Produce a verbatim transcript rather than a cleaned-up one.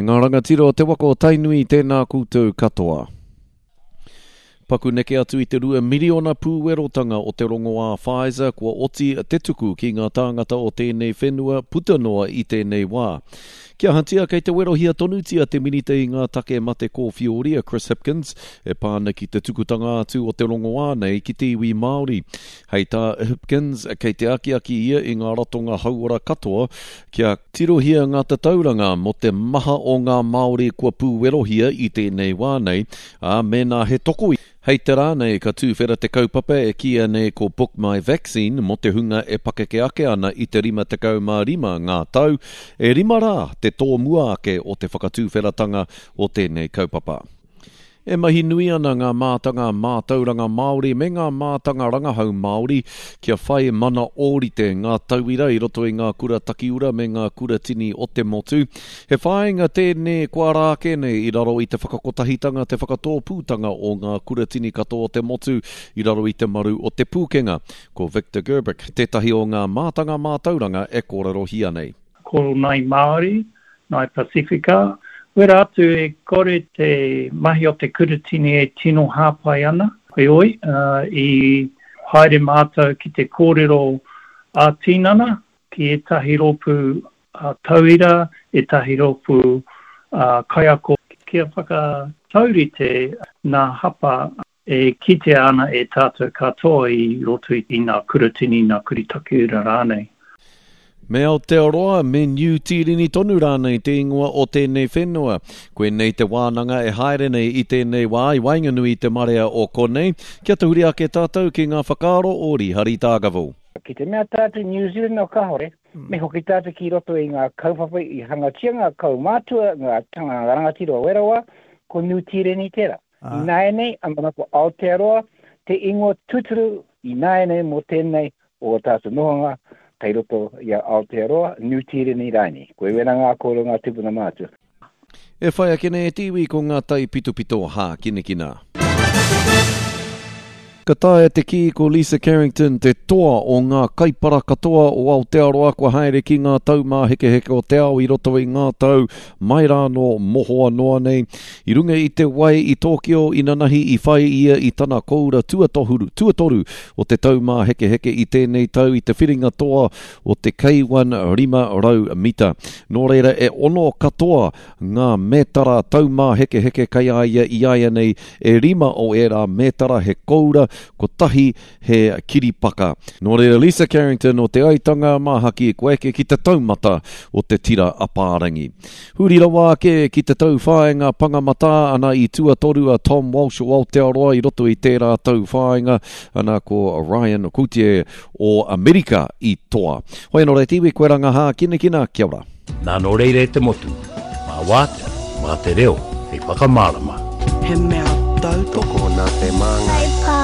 E ngā rangatira o te waka o Tainui, tēnā koutou katoa. Paku neke atu i te rua miriona pūwerotanga o te rongoā Pfizer kua oti te tuku ki ngā tāngata o tēnei whenua puta noa i tēnei wā. Kia ahatia kei te werohia tonutia te minita i ngā take mate kōwhiori a Chris Hipkins e pā ana ki te tukutanga atu o te rongoā nei ki te iwi Māori. Hei tā Hipkins, kei te akiaki ia i ngā ratonga hauora katoa kia tirohia ngā tatauranga mō te maha o ngā Māori kua pūwerohia i tēnei wā nei, ā, mēnā he toko Hei te rā nei ka tūwhera te kaupapa e kīia nei ko Book My Vaccine mō te hunga e pakeke ake ana i te rima tekau mā rima ngā tau, e rima rā te tōmua ake o te whakatūwheratanga o tēnei kaupapa. E mahi nui ana ngā mātanga mātauranga Māori me ngā mātanga rangahau Māori kia whai mana ōrite ngā tauira i roto i ngā kura takiura me ngā kura tini o te motu. He whāinga tēnei kua ara ake nei i raro i te whakakotahitanga, te whakatōpūtanga o ngā kura tini katoa o te motu i raro i te maru o Te Pūkenga. Ko Victor Gerbic tētahi o ngā mātanga mātauranga e kōrerohia nei. Ko Ngāi Māori, Ngāi Pasifika, Wera atu e kore te mahi o te kuratini e tino hāpai ana, heoi, i haere mātou ki te kōrero ā-tinana ki ētahi rōpū tauira, ētahi rōpū kaiako kia whakataurite ngā hapa e kitea ana e tātou katoa i roto i ngā kuratini, ngā kura takiura rānei. Me Aotearoa, me Niu Tīreni tonu rānei te ingoa o tēnei whenua. Koinei te wānanga e haere nei i tēnei wā i waenganui i te marea o konei. Kia tahuri ake tātou ki ngā whakaaro o Rihari Dargaville. Ki te mea tātou New Zealand no kahore, me hoki tātou ki roto i ngā kaupapa i hangatia ngā kaumātua, ngā tangata rangatira o wera wā, ko Niu Tīreni tērā. Ināianei, ana ko Aotearoa te ingoa tūturu ināianei mō tēnei o ō tātou nohonga kei roto i a Aotearoa, Niu Tīreni rānei. Koe wera ngā kōrero ngā tūpuna mātua. E whai ake nei e te iwi ko ngā taipitopito hākinakina. Ka taea te kī ko Lisa Carrington te toa o ngā kaipara katoa o Aotearoa kua haere ki ngā taumāhekeheke o te ao i roto i ngā tau mai rānō mohoa noa nei. I runga i te wai i Tōkio inanahi i whai ia i tana koura tuatohuru, tuatoru o te taumāhekeheke i tēnei tau i te whiringa toa o te K one rima rau mita. Nō reira e ono katoa ngā mētara taumāhekeheke kei a ia i a ia nei e rima o ērā mētara he koura, kotahi he kiripaka. Nō reira Lisa Carrington o Te Aitanga Māhaki kua eke ki te taumata o te tira apārangi. Huri rawa ake ki te tauwhāinga pangamatā ana i tuatoru a Tom Walsh o Aotearoa i roto i tērā tauwhāinga ana ko Ryan Coutier o Amerika i toa. Hoi anō rā te iwi, koe rā ngā hākinakina, kia ora. Nā nō reira e te motu, mā wātea, mā te reo, hei whakamārama. He mea tautoko nā te māngai. Hei pā